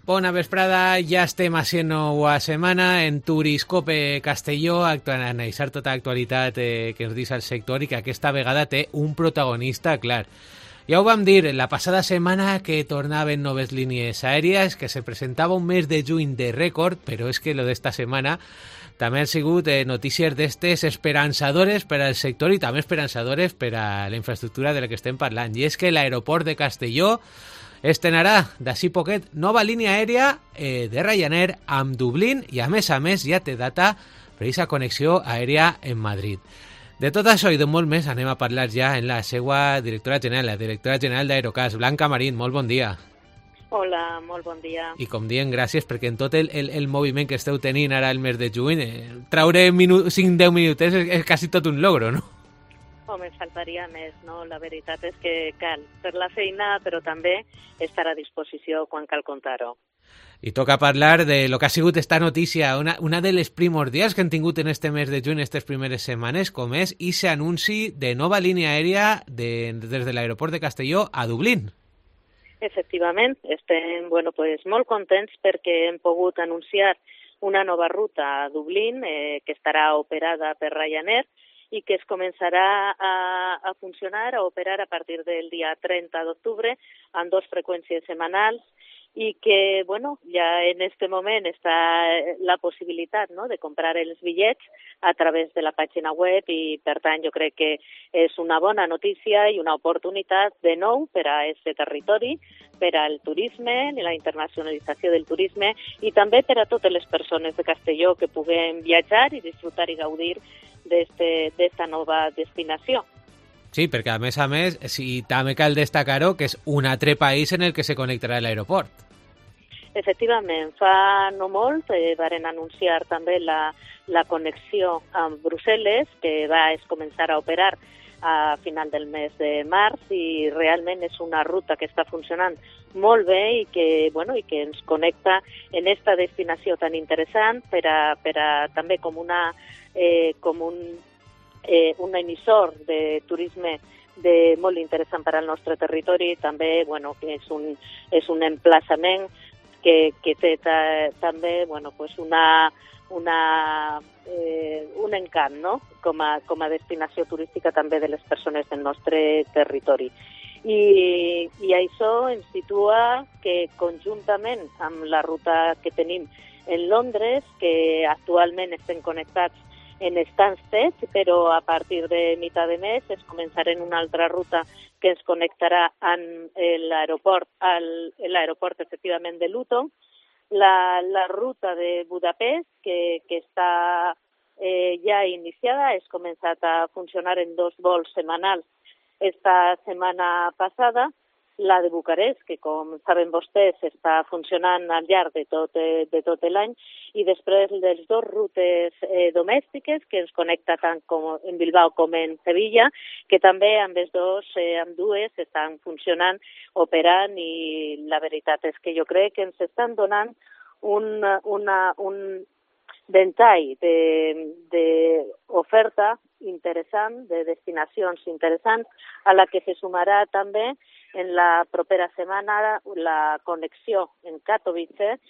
Bona vesprada, ja estem a 109a setmana en Turiscope Castelló, analitzar tota l'actualitat que ens diu el sector i que aquesta vegada té un protagonista clar. Ja ho vam dir la passada setmana que tornaven noves línies aèries, que se presentava un mes de juny de rècord, però és que lo d'esta setmana també han sigut notícies d'estes esperançadores per al sector i també esperançadores per a la infraestructura de la que estem parlant. I és que l'aeroport de Castelló estrenarà d'ací poquet nova línia aèria de Ryanair amb Dublín i a més ja té data per aquesta connexió aèria en Madrid. De tot això i de molt més anem a parlar ja en la seva directora general, la directora general d'Aerocas, Blanca Marín. Molt bon dia. Hola, molt bon dia. I com diem, gràcies, perquè en tot el moviment que esteu tenint ara el mes de juny, traure 5-10 minutets és quasi tot un logro, no? Home, faltaria més, no? La veritat és que cal fer la feina, però també estar a disposició quan cal contar-ho. I toca parlar de lo que ha sigut esta notícia, una de les primordials que han tingut en este mes de juny, aquestes primeres setmanes, com és ese anunci de nova línia aèria des de l'aeroport de Castelló a Dublín. Efectivament, estem molt contents perquè hem pogut anunciar una nova ruta a Dublín que estarà operada per Ryanair i que es començarà a funcionar, a operar a partir del dia 30 d'octubre amb 2 freqüències setmanals i que, ja en este moment està la possibilitat, no?, de comprar els bitllets a través de la pàgina web i, per tant, jo crec que és una bona notícia i una oportunitat de nou per a aquest territori, per al turisme, la internacionalització del turisme i també per a totes les persones de Castelló que puguem viatjar i disfrutar i gaudir d'esta nova destinació. Sí, perquè a més, sí, també cal destacar-ho que és un altre país en el que se connectarà l'aeroport. Efectivament, fa no molt varen anunciar també la connexió amb Brussel·les, que va començar a operar a final del mes de març i realment és una ruta que està funcionant molt bé i que ens connecta en esta destinació tan interessant per a també com un emissor de turisme molt interessant per al nostre territori, també que és un emplaçament que té també un encant, no?, com a destinació turística també de les persones del nostre territori. I això ens situa que conjuntament amb la ruta que tenim en Londres, que actualment estem connectats en Stansted, però a partir de mitjà de mes es començarà en una altra ruta que ens connectarà amb l'aeroport efectivament de Luton, la ruta de Budapest, que està ja iniciada, es començat a funcionar en 2 vols setmanals esta setmana passada, la de Bucarest, que com saben vostès està funcionant al llarg de tot l'any, i després les 2 rutes domèstiques que ens connecta tant com en Bilbao com en Sevilla, que també amb dues estan funcionant, operant, i la veritat és que jo crec que ens estan donant un ventall d'oferta interessant, de destinacions interessants, a la que se sumarà també en la propera setmana la connexió en Katowice,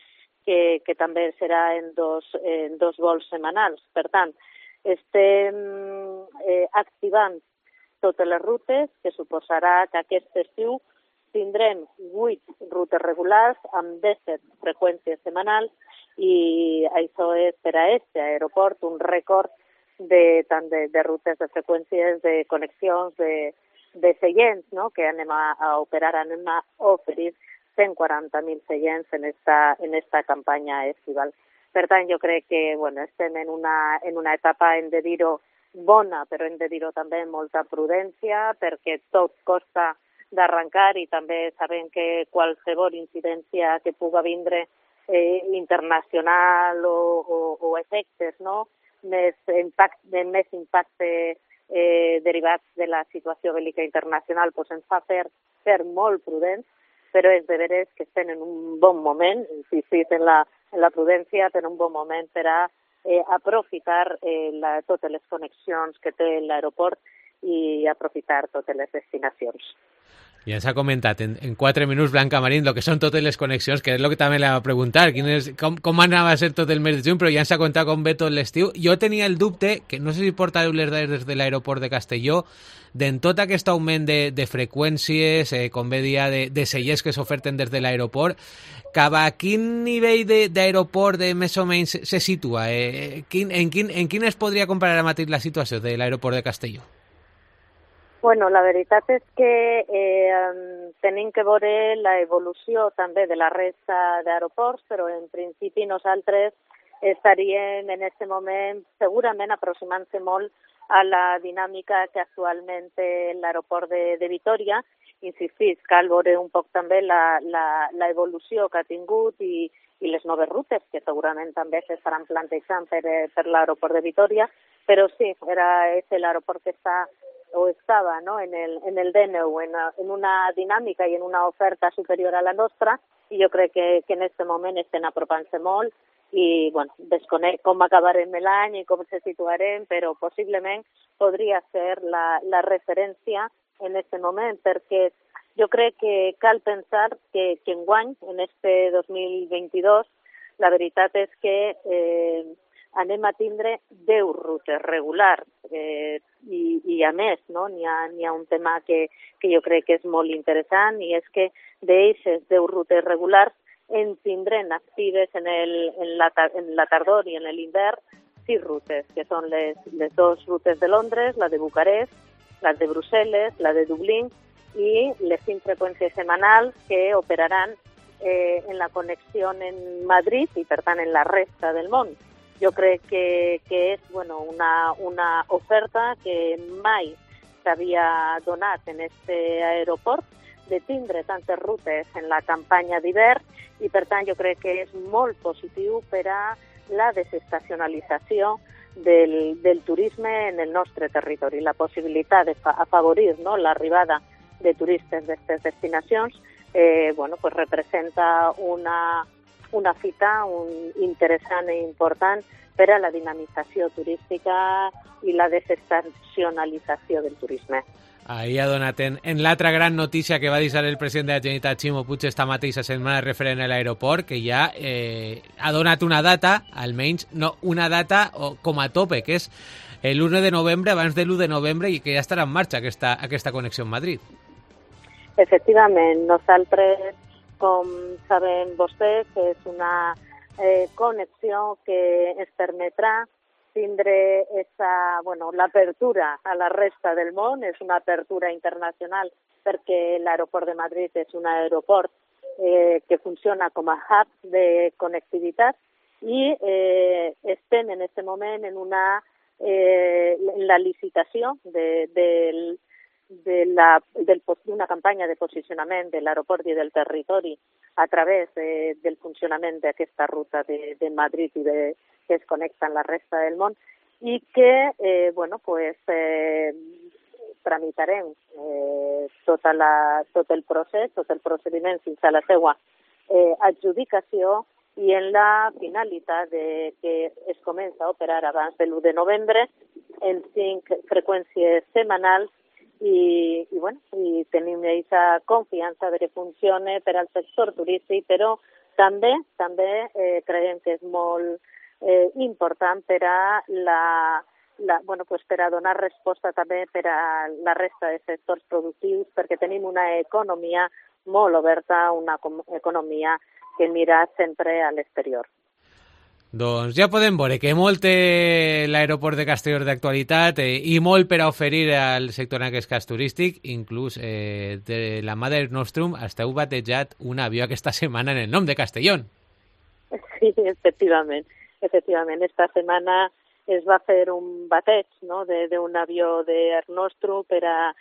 que també serà en dos vols setmanals. Per tant, estem activant totes les rutes, que suposarà que aquest estiu tindrem 8 rutes regulars amb 17 freqüències setmanals i això és per a aquest aeroport un rècord tant de rutes, de freqüències, de connexions, de seients, no?, que anem a operar, anem a oferir 140.000 seients en esta campanya estival. Per tant, jo crec que estem en una etapa, hem de dir-ho, bona, però hem de dir-ho també amb molta prudència, perquè tot costa d'arrencar i també sabem que qualsevol incidència que puga vindre internacional o efectes, no?, més impacte derivats de la situació bèl·lica internacional, ens fa ser molt prudents, però és de veres que estem en un bon moment, insistit en la prudència, en un bon moment per a aprofitar totes les connexions que té l'aeroport i aprofitar totes les destinacions. Ja ens ha comentat en 4 minuts Blanca Marín el que són totes les connexions, que és el que també li va preguntar, com anava a ser tot el mes de juny, però ja ens ha contat com ve tot l'estiu. Jo tenia el dubte, que no sé si portareu les dades des de l'aeroport de Castelló, d'en tot aquest augment de freqüències, com bé dia, de cellers que s'oferten des de l'aeroport, cap a quin nivell d'aeroport més o menys se situa? En quin es podria comparar ara mateix la situació de l'aeroport de Castelló? Bueno, la veritat és que tenim que veure l'evolució també de la resta d'aeroports, però en principi nosaltres estaríem en aquest moment segurament aproximant-se molt a la dinàmica que actualment té l'aeroport de Vitòria. Insistís, cal veure un poc també l'evolució que ha tingut i les noves rutes que segurament també s'estaran plantejant per l'aeroport de Vitòria, però sí, és l'aeroport que està o estava, no, en el D9 en una dinàmica i en una oferta superior a la nostra, i jo crec que en aquest moment estem apropant-se molt i bueno, desconec com acabarem l'any i com se situarem, però possiblement podria ser la referència en aquest moment, perquè jo crec que cal pensar que enguany, en este 2022, la veritat és que anem a tindre 10 rutes regulars i a més, no, n'hi ha un tema que jo crec que és molt interessant, i és que d'eixes 10 rutes regulars en tindrem actives en la tardor i en l'hivern 6 rutes, que són les 2 rutes de Londres, la de Bucarest, la de Brussel·les, la de Dublín i les 5 freqüències setmanals que operaran en la connexió en Madrid i, per tant, en la resta del món. Jo crec que és una oferta que mai s'havia donat en aquest aeroport, de tindre tantes rutes en la campanya d'hivern, i per tant jo crec que és molt positiu per a la desestacionalització del turisme en el nostre territori. La possibilitat d'afavorir l'arribada de turistes d'aquestes destinacions representa una fita interessant i important per a la dinamització turística i la desestacionalització del turisme. Ahí ha donat en l'altra gran notícia que va deixar el president de la Generalitat, Ximo Puig, esta mateixa setmana referent a l'aeroport, que ja ha donat una data, almenys no una data com a tope, que és l'1 de novembre, abans de l'1 de novembre, i que ja estarà en marxa aquesta connexió amb Madrid. Efectivament, nosaltres, com saben vostès, és una connexió que ens permetrà tindre l'apertura a la resta del món. És una apertura internacional perquè l'aeroport de Madrid és un aeroport que funciona com a hub de connectivitat i estem en aquest moment en la licitació d'una campanya de posicionament de l'aeroport i del territori a través del funcionament d'aquesta ruta de Madrid i que es connecta amb la resta del món, i que tramitarem tot el procés, tot el procediment fins a la seva adjudicació, i en la finalitat que es comença a operar abans de l'1 de novembre en 5 freqüències setmanals, i tenim aquesta confiança de que funcione per al sector turístic, però també creiem que és molt important per a per a donar resposta també per a la resta de sectors productius, perquè tenim una economia molt oberta, una economia que mira sempre a l'exterior. Doncs ja podem veure que molt té l'aeroport de Castelló d'actualitat i molt per a oferir al sector en aquest cas turístic. Inclús de la mà del Nostrum esteu batejat un avió aquesta setmana en el nom de Castellón. Sí, efectivament. Esta setmana es va fer un bateig, no?, d'un avió d'Air Nostrum per a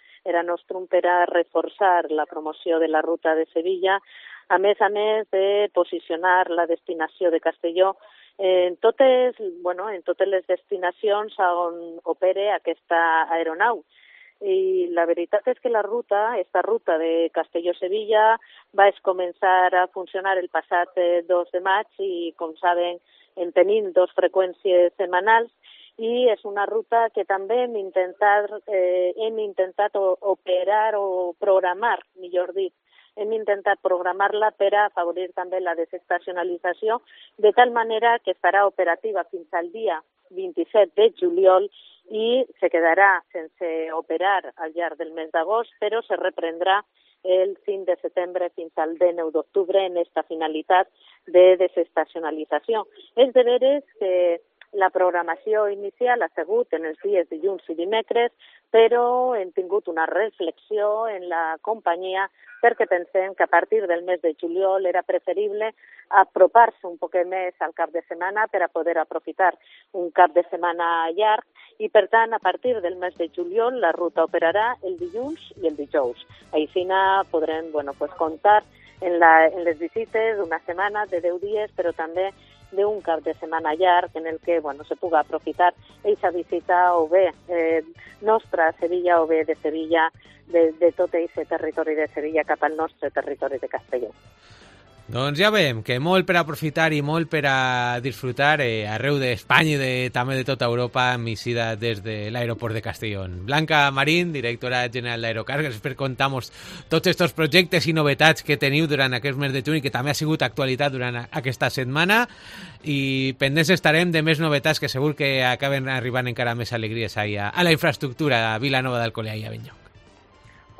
reforçar la promoció de la ruta de Sevilla, a més de posicionar la destinació de Castelló en totes les destinacions on opere aquesta aeronau. I la veritat és que esta ruta de Castelló-Sevilla va començar a funcionar el passat 2 de maig i, com saben, en tenim 2 freqüències setmanals, i és una ruta que també hem intentat operar o programar, millor dit, hem intentat programar-la per a afavorir també la desestacionalització, de tal manera que estarà operativa fins al dia 27 de juliol i se quedarà sense operar al llarg del mes d'agost, però se reprendrà el 5 de setembre fins al 19 d'octubre en esta finalitat de desestacionalització. És de veres que la programació inicial ha sigut en els dies dilluns i dimecres, però hem tingut una reflexió en la companyia perquè pensem que a partir del mes de juliol era preferible apropar-se un poc més al cap de setmana per a poder aprofitar un cap de setmana llarg i, per tant, a partir del mes de juliol la ruta operarà el dilluns i el dijous. Així podrem comptar en les visites d'una setmana, de 10 dies, però també d'un cap de setmana llarg en el que se pugui aprofitar aquesta visita o bé nostra a Sevilla o bé de Sevilla, de tot aquest territori de Sevilla cap al nostre territori de Castelló. Doncs ja veiem que molt per aprofitar i molt per a disfrutar arreu d'Espanya i també de tota Europa amb eixida des de l'aeroport de Castelló. Blanca Marín, directora general d'Aerocar, gràcies per contar-nos tots aquests projectes i novetats que teniu durant aquest mes de juny, que també ha sigut actualitat durant aquesta setmana, i pendents estarem de més novetats que segur que acaben arribant encara més alegries a la infraestructura a Vilanova d'Alcolea i a Benlloc.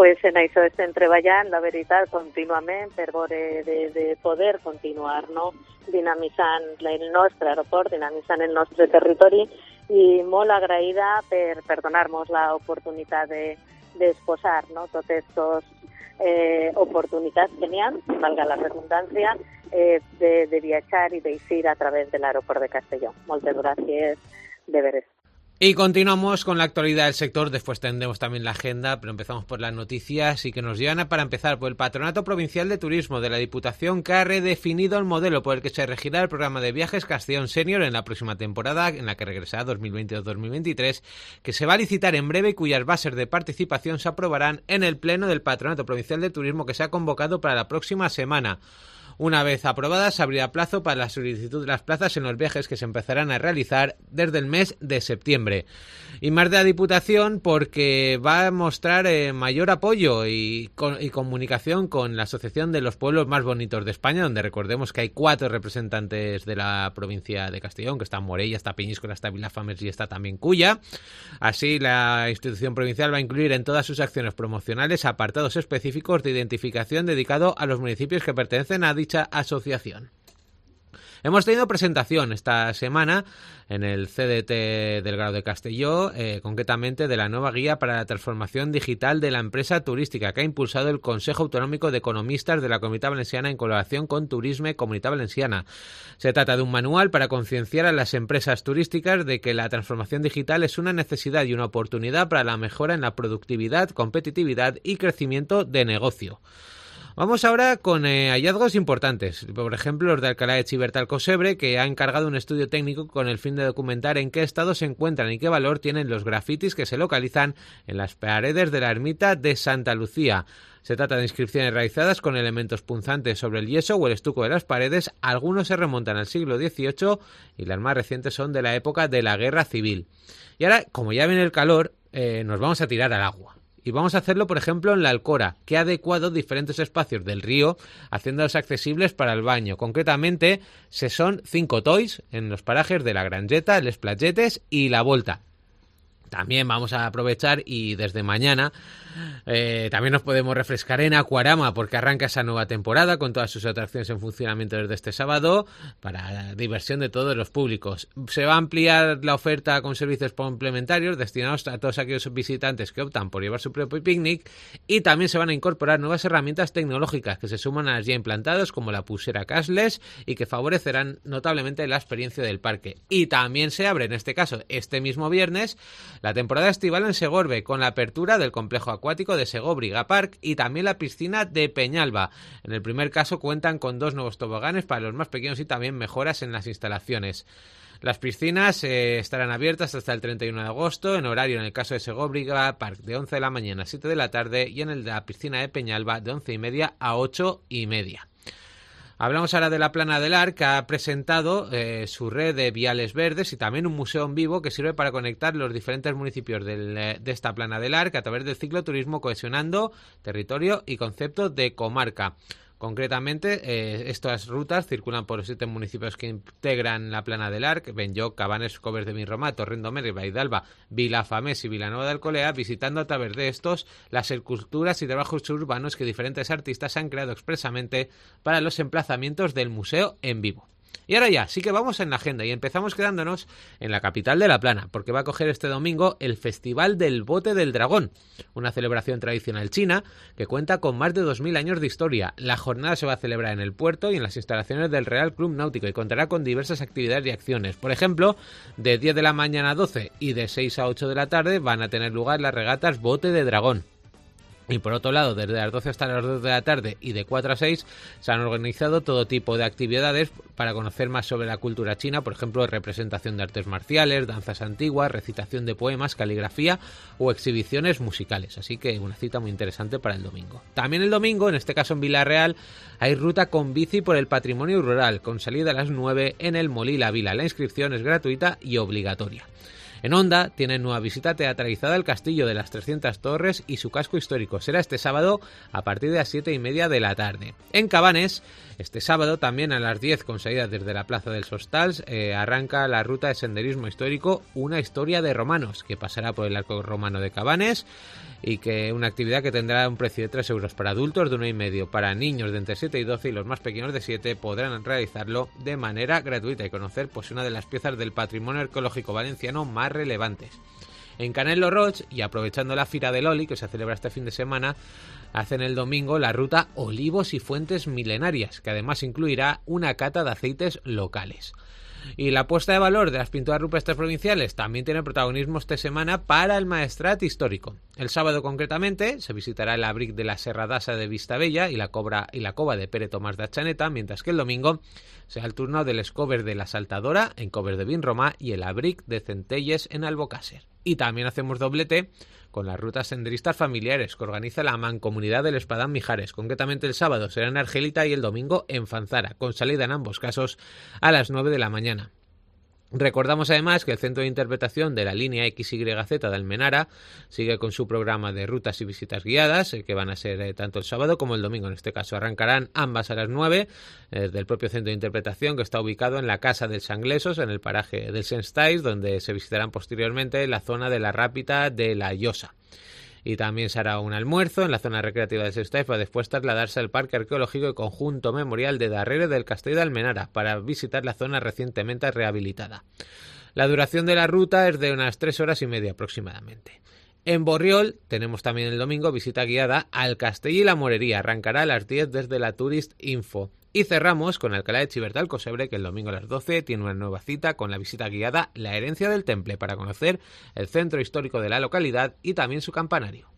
Pues en això estem treballant, la veritat, contínuament per veure de poder continuar dinamitzant el nostre aeroport, dinamitzant el nostre territori, i molt agraïda per donar-nos l'oportunitat d'exposar totes aquestes oportunitats que n'hi ha, valga la redundància, de viatjar i d'eixir a través de l'aeroport de Castelló. Moltes gràcies, de veres. Y continuamos con la actualidad del sector, después tendremos también la agenda, pero empezamos por las noticias y que nos llevan para empezar por el Patronato Provincial de Turismo de la Diputación, que ha redefinido el modelo por el que se regirá el programa de viajes Castellón Senior en la próxima temporada, en la que regresará 2022-2023, que se va a licitar en breve y cuyas bases de participación se aprobarán en el Pleno del Patronato Provincial de Turismo que se ha convocado para la próxima semana. Una vez aprobadas, se abrirá plazo para la solicitud de las plazas en los viajes que se empezarán a realizar desde el mes de septiembre. Y más de la Diputación porque va a mostrar mayor apoyo y comunicación con la Asociación de los Pueblos Más Bonitos de España, donde recordemos que hay 4 representantes de la provincia de Castellón, que están Morella, está Peñíscola, está Vilafamés y está también Culla. Así, la institución provincial va a incluir en todas sus acciones promocionales apartados específicos de identificación dedicado a los municipios que pertenecen a dicha asociación. Hemos tenido presentación esta semana en el CDT del Grau de Castelló, concretamente de la nueva guía para la transformación digital de la empresa turística que ha impulsado el Consejo Autonómico de Economistas de la Comunitat Valenciana en colaboración con Turisme Comunitat Valenciana. Se trata de un manual para concienciar a las empresas turísticas de que la transformación digital es una necesidad y una oportunidad para la mejora en la productividad, competitividad y crecimiento de negocio. Vamos ahora con hallazgos importantes, por ejemplo los de Alcalá de Chivertal Cosebre, que ha encargado un estudio técnico con el fin de documentar en qué estado se encuentran y qué valor tienen los grafitis que se localizan en las paredes de la ermita de Santa Lucía. Se trata de inscripciones realizadas con elementos punzantes sobre el yeso o el estuco de las paredes, algunos se remontan al siglo XVIII y las más recientes son de la época de la Guerra Civil. Y ahora, como ya viene el calor, nos vamos a tirar al agua. Y vamos a hacerlo, por ejemplo, en la Alcora, que ha adecuado diferentes espacios del río, haciéndolos accesibles para el baño. Concretamente, se son 5 tois en los parajes de la Grangeta, Les Platgetes y La Volta. También vamos a aprovechar y desde mañana también nos podemos refrescar en Aquarama porque arranca esa nueva temporada con todas sus atracciones en funcionamiento desde este sábado para la diversión de todos los públicos. Se va a ampliar la oferta con servicios complementarios destinados a todos aquellos visitantes que optan por llevar su propio picnic y también se van a incorporar nuevas herramientas tecnológicas que se suman a las ya implantadas como la pulsera cashless y que favorecerán notablemente la experiencia del parque. Y también se abre, en este caso, este mismo viernes, la temporada estival en Segorbe con la apertura del complejo acuático de Segóbriga Park y también la piscina de Peñalba. En el primer caso cuentan con 2 nuevos toboganes para los más pequeños y también mejoras en las instalaciones. Las piscinas estarán abiertas hasta el 31 de agosto, en horario en el caso de Segóbriga Park de 11 de la mañana a 7 de la tarde y en el de la piscina de Peñalba de 11:30 a 8:30. Hablamos ahora de la Plana del Arc, que ha presentado su red de viales verdes y también un museo en vivo que sirve para conectar los diferentes municipios de esta Plana del Arc a través del cicloturismo, cohesionando territorio y concepto de comarca. Concretamente, estas rutas circulan por los 7 municipios que integran la Plana del Arc: Benlloc, Cabanes, Coves de Vinromà, Torrent-d'Omer, Vaidalba, Vilafamés y Vilanova de Alcolea, visitando a través de estos las esculturas y trabajos urbanos que diferentes artistas han creado expresamente para los emplazamientos del museo en vivo. Y ahora ya, sí que vamos en la agenda y empezamos quedándonos en la capital de La Plana, porque va a coger este domingo el Festival del Bote del Dragón, una celebración tradicional china que cuenta con más de 2000 años de historia. La jornada se va a celebrar en el puerto y en las instalaciones del Real Club Náutico y contará con diversas actividades y acciones. Por ejemplo, de 10 de la mañana a 12 y de 6 a 8 de la tarde van a tener lugar las regatas Bote de Dragón. Y por otro lado, desde las 12 hasta las 2 de la tarde y de 4 a 6 se han organizado todo tipo de actividades para conocer más sobre la cultura china, por ejemplo, representación de artes marciales, danzas antiguas, recitación de poemas, caligrafía o exhibiciones musicales. Así que una cita muy interesante para el domingo. También el domingo, en este caso en Villarreal, hay ruta con bici por el patrimonio rural, con salida a las 9 en el Molí La Vila. La inscripción es gratuita y obligatoria. En Onda tienen nueva visita teatralizada al Castillo de las 300 Torres y su casco histórico. Será este sábado a partir de las 7:30 de la tarde. En Cabanes, este sábado también a las 10 con salida desde la Plaza del Sostals, arranca la ruta de senderismo histórico Una historia de romanos, que pasará por el arco romano de Cabanes y que una actividad que tendrá un precio de 3 euros para adultos, de 1,5 para niños de entre 7 y 12 y los más pequeños de 7 podrán realizarlo de manera gratuita y conocer pues una de las piezas del patrimonio arqueológico valenciano más relevantes. En Canel lo Roig, y aprovechando la Fira del Oli que se celebra este fin de semana, hacen el domingo la ruta Olivos y Fuentes Milenarias, que además incluirá una cata de aceites locales. Y la puesta de valor de las pinturas rupestres provinciales también tiene protagonismo esta semana para el Maestrat histórico. El sábado concretamente se visitará el abric de la Serra d'Assa de Vistabella y la cova de Pere Tomás de Achaneta, mientras que el domingo será el turno del Coves de la Saltadora en Coves de Vinromà y el abric de Centelles en Albocàsser. Y también hacemos doblete con las rutas senderistas familiares que organiza la Mancomunidad del Espadán Mijares. Concretamente el sábado será en Argelita y el domingo en Fanzara, con salida en ambos casos a las 9 de la mañana. Recordamos además que el Centro de Interpretación de la línea XYZ de Almenara sigue con su programa de rutas y visitas guiadas, que van a ser tanto el sábado como el domingo. En este caso arrancarán ambas a las 9 del propio Centro de Interpretación, que está ubicado en la Casa dels Sanglesos, en el paraje del Senstais, donde se visitarán posteriormente la zona de la Rápita de la Llosa. Y también se hará un almuerzo en la zona recreativa de Sestaiz para después trasladarse al Parque Arqueológico y Conjunto Memorial de Darrere del Castell de Almenara para visitar la zona recientemente rehabilitada. La duración de la ruta es de unas 3 horas y media aproximadamente. En Borriol tenemos también el domingo visita guiada al Castell y la Morería. Arrancará a las 10 desde la Tourist Info. Y cerramos con Alcalá de Xivert del Cosebre, que el domingo a las 12 tiene una nueva cita con la visita guiada La Herencia del Temple para conocer el centro histórico de la localidad y también su campanario.